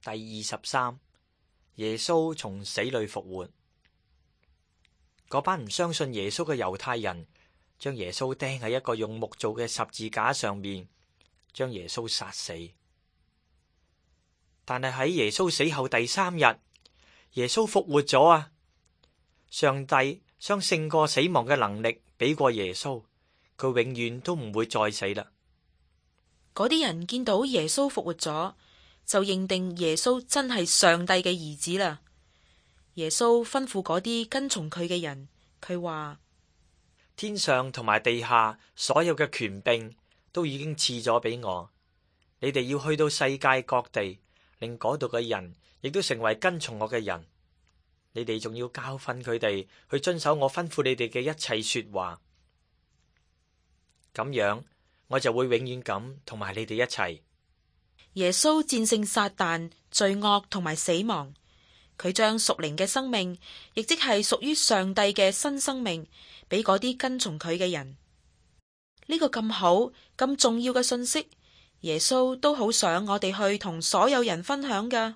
第23，耶穌從死裏復活。嗰班唔相信耶穌嘅猶太人將耶穌釘喺一個用木做嘅十字架上面，將耶穌殺死。但係喺耶穌死後第3日，耶穌復活咗啊！上帝將勝過死亡嘅能力俾過耶穌，佢永遠都唔會再死啦。嗰啲人見到耶穌復活咗，就認定耶穌真係上帝嘅兒子啦。耶穌吩咐嗰啲跟從佢嘅人，佢話：天上同埋地下所有嘅權柄都已經賜咗俾我，你哋要去到世界各地，令嗰度嘅人亦都成為跟從我嘅人。你哋仲要教訓佢哋去遵守我吩咐你哋嘅一切說話，咁樣我就會永遠咁同埋你哋一齊。耶穌戰勝撒旦、罪惡同埋死亡，佢將屬靈嘅生命，亦即係屬於上帝嘅新生命，俾嗰啲跟從佢嘅人。呢個咁好、咁重要嘅信息，耶穌都好想我哋去同所有人分享㗎。